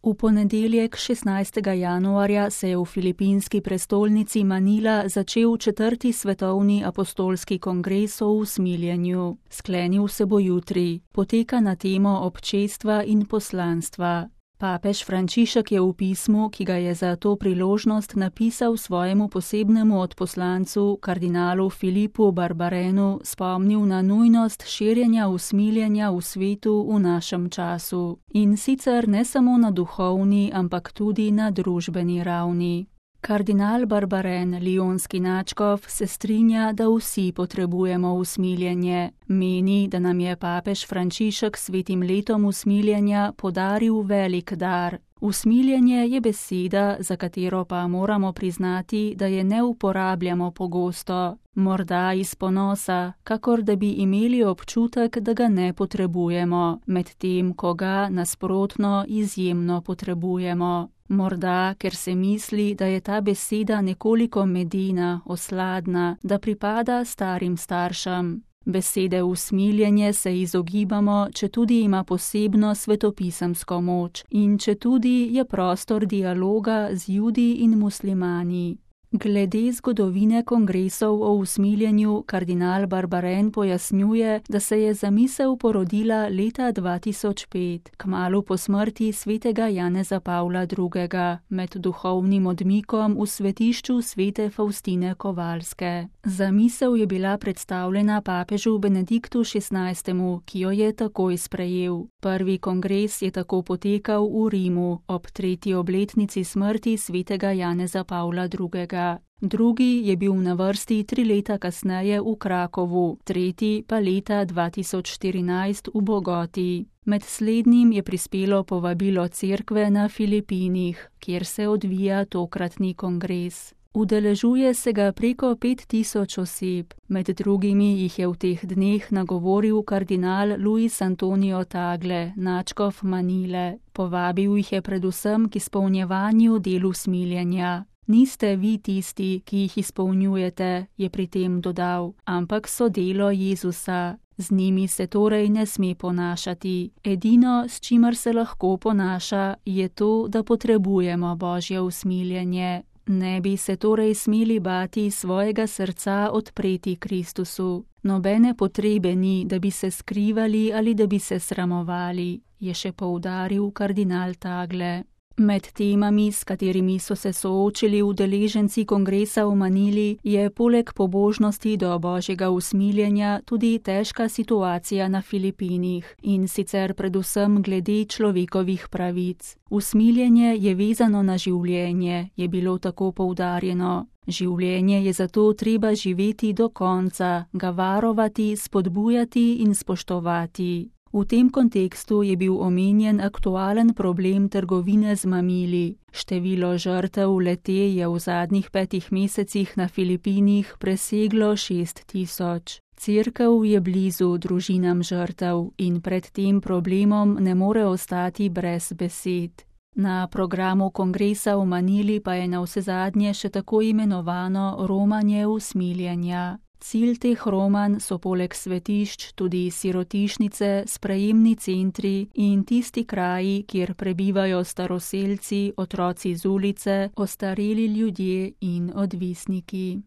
V ponedeljek 16. januarja se je v filipinski prestolnici Manila začel 4. svetovni apostolski kongres o usmiljenju. Sklenil se bo jutri. Poteka na temo občestva in poslanstva. Papež Frančišek je v pismu, ki ga je za to priložnost napisal svojemu posebnemu odposlancu, kardinalu Filipu Barbarenu, spomnil na nujnost širjenja usmiljenja v svetu v našem času. In sicer ne samo na duhovni, ampak tudi na družbeni ravni. Kardinal Barbaren, lionski nadškof, se strinja, da vsi potrebujemo usmiljenje. Meni, da nam je papež Frančišek s svetim letom usmiljenja podaril velik dar. Usmiljenje je beseda, za katero pa moramo priznati, da je ne uporabljamo pogosto. Morda iz ponosa, kakor da bi imeli občutek, da ga ne potrebujemo, medtem ko ga nasprotno izjemno potrebujemo. Morda, ker se misli, da je ta beseda nekoliko medena, osladna, da pripada starim staršem. Besede usmiljenje se izogibamo, četudi ima posebno svetopisemsko moč in četudi je prostor dialoga z Judi in muslimani. Glede zgodovine kongresov o usmiljenju, kardinal Barbaren pojasnjuje, da se je zamisel porodila leta 2005, kmalu po smrti svetega Janeza Pavla II., med duhovnim odmikom v svetišču svete Faustine Kovalske. Zamisel je bila predstavljena papežu Benediktu XVI., ki jo je takoj sprejel. Prvi kongres je tako potekal v Rimu ob 3. obletnici smrti svetega Janeza Pavla II. Drugi je bil na vrsti 3 leta kasneje v Krakovu, tretji pa leta 2014 v Bogoti. Med slednjim je prispelo povabilo cerkve na Filipinih, kjer se odvija tokratni kongres. Udeležuje se ga preko 5000 oseb, med drugimi jih je v teh dneh nagovoril kardinal Luis Antonio Tagle, nadškof Manile. Povabil jih je predvsem k izpolnjevanju del usmiljenja. Niste vi tisti, ki jih izpolnjujete, je pri tem dodal, ampak so delo Jezusa. Z njimi se torej ne sme ponašati. Edino, s čimer se lahko ponaša, je to, da potrebujemo Božje usmiljenje. Ne bi se torej smeli bati svojega srca odpreti Kristusu. Nobene potrebe ni, da bi se skrivali ali da bi se sramovali, je še poudaril kardinal Tagle. Med temami, s katerimi so se soočili udeleženci kongresa v Manili, je poleg pobožnosti do Božjega usmiljenja tudi težka situacija na Filipinih, in sicer predvsem glede človekovih pravic. Usmiljenje je vezano na življenje, je bilo tako poudarjeno. Življenje je zato treba živeti do konca, ga varovati, spodbujati in spoštovati. V tem kontekstu je bil omenjen aktualen problem trgovine z mamili. Število žrtev le-te je v zadnjih 5 mesecih na Filipinih preseglo 6000. Cerkev je blizu družinam žrtev in pred tem problemom ne more ostati brez besed. Na programu kongresa v Manili pa je navsezadnje še tako imenovano romanje usmiljenja. Cilj teh romanj so poleg svetišč tudi sirotišnice, sprejemni centri in tisti kraji, kjer prebivajo staroselci, otroci z ulice, ostareli ljudje in odvisniki.